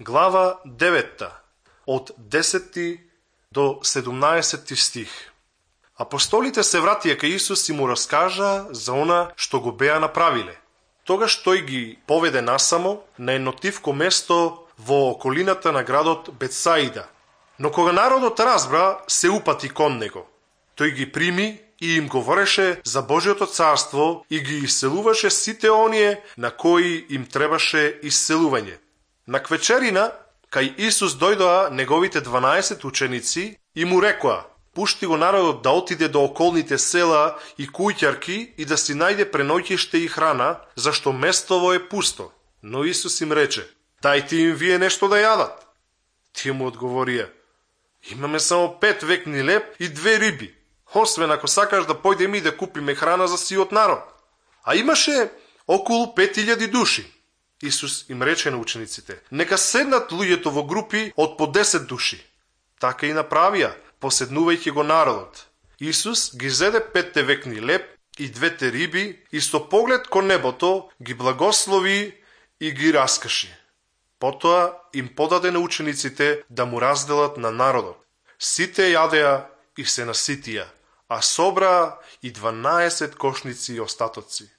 глава 9, од 10 до 17 стих. Апостолите се вратија кај Исус и му раскажа за она што го беа направиле. Тогаш тој ги поведе насамо на едно тивко место во околината на градот Бетсаида. Но кога народот разбра, се упати кон него. Тој ги прими и им говореше за Божјото царство и ги исцелуваше сите оние на кои им требаше исцелување. На квечерина, кај Исус дојдоа неговите 12 ученици и му рекоа: пушти го народот да отиде до околните села и куќарки и да си најде преноќиште и храна, зашто местово е пусто. Но Исус им рече: дајте им вие нешто да јадат. Тие му одговорија: имаме само 5 векни леб и 2 риби, освен ако сакаш да појдеме и да купиме храна за сиот народ. А имаше околу 5000 души. Исус им рече на учениците: нека седнат луѓето во групи од по 10 души. Така и направија, поседнувајќи го народот. Исус ги зеде 5 векни леб и 2 риби и со поглед кон небото ги благослови и ги раскаши. Потоа им подаде на учениците да му разделат на народот. Сите јадеа и се наситија, а собраа и 12 кошници остатоци.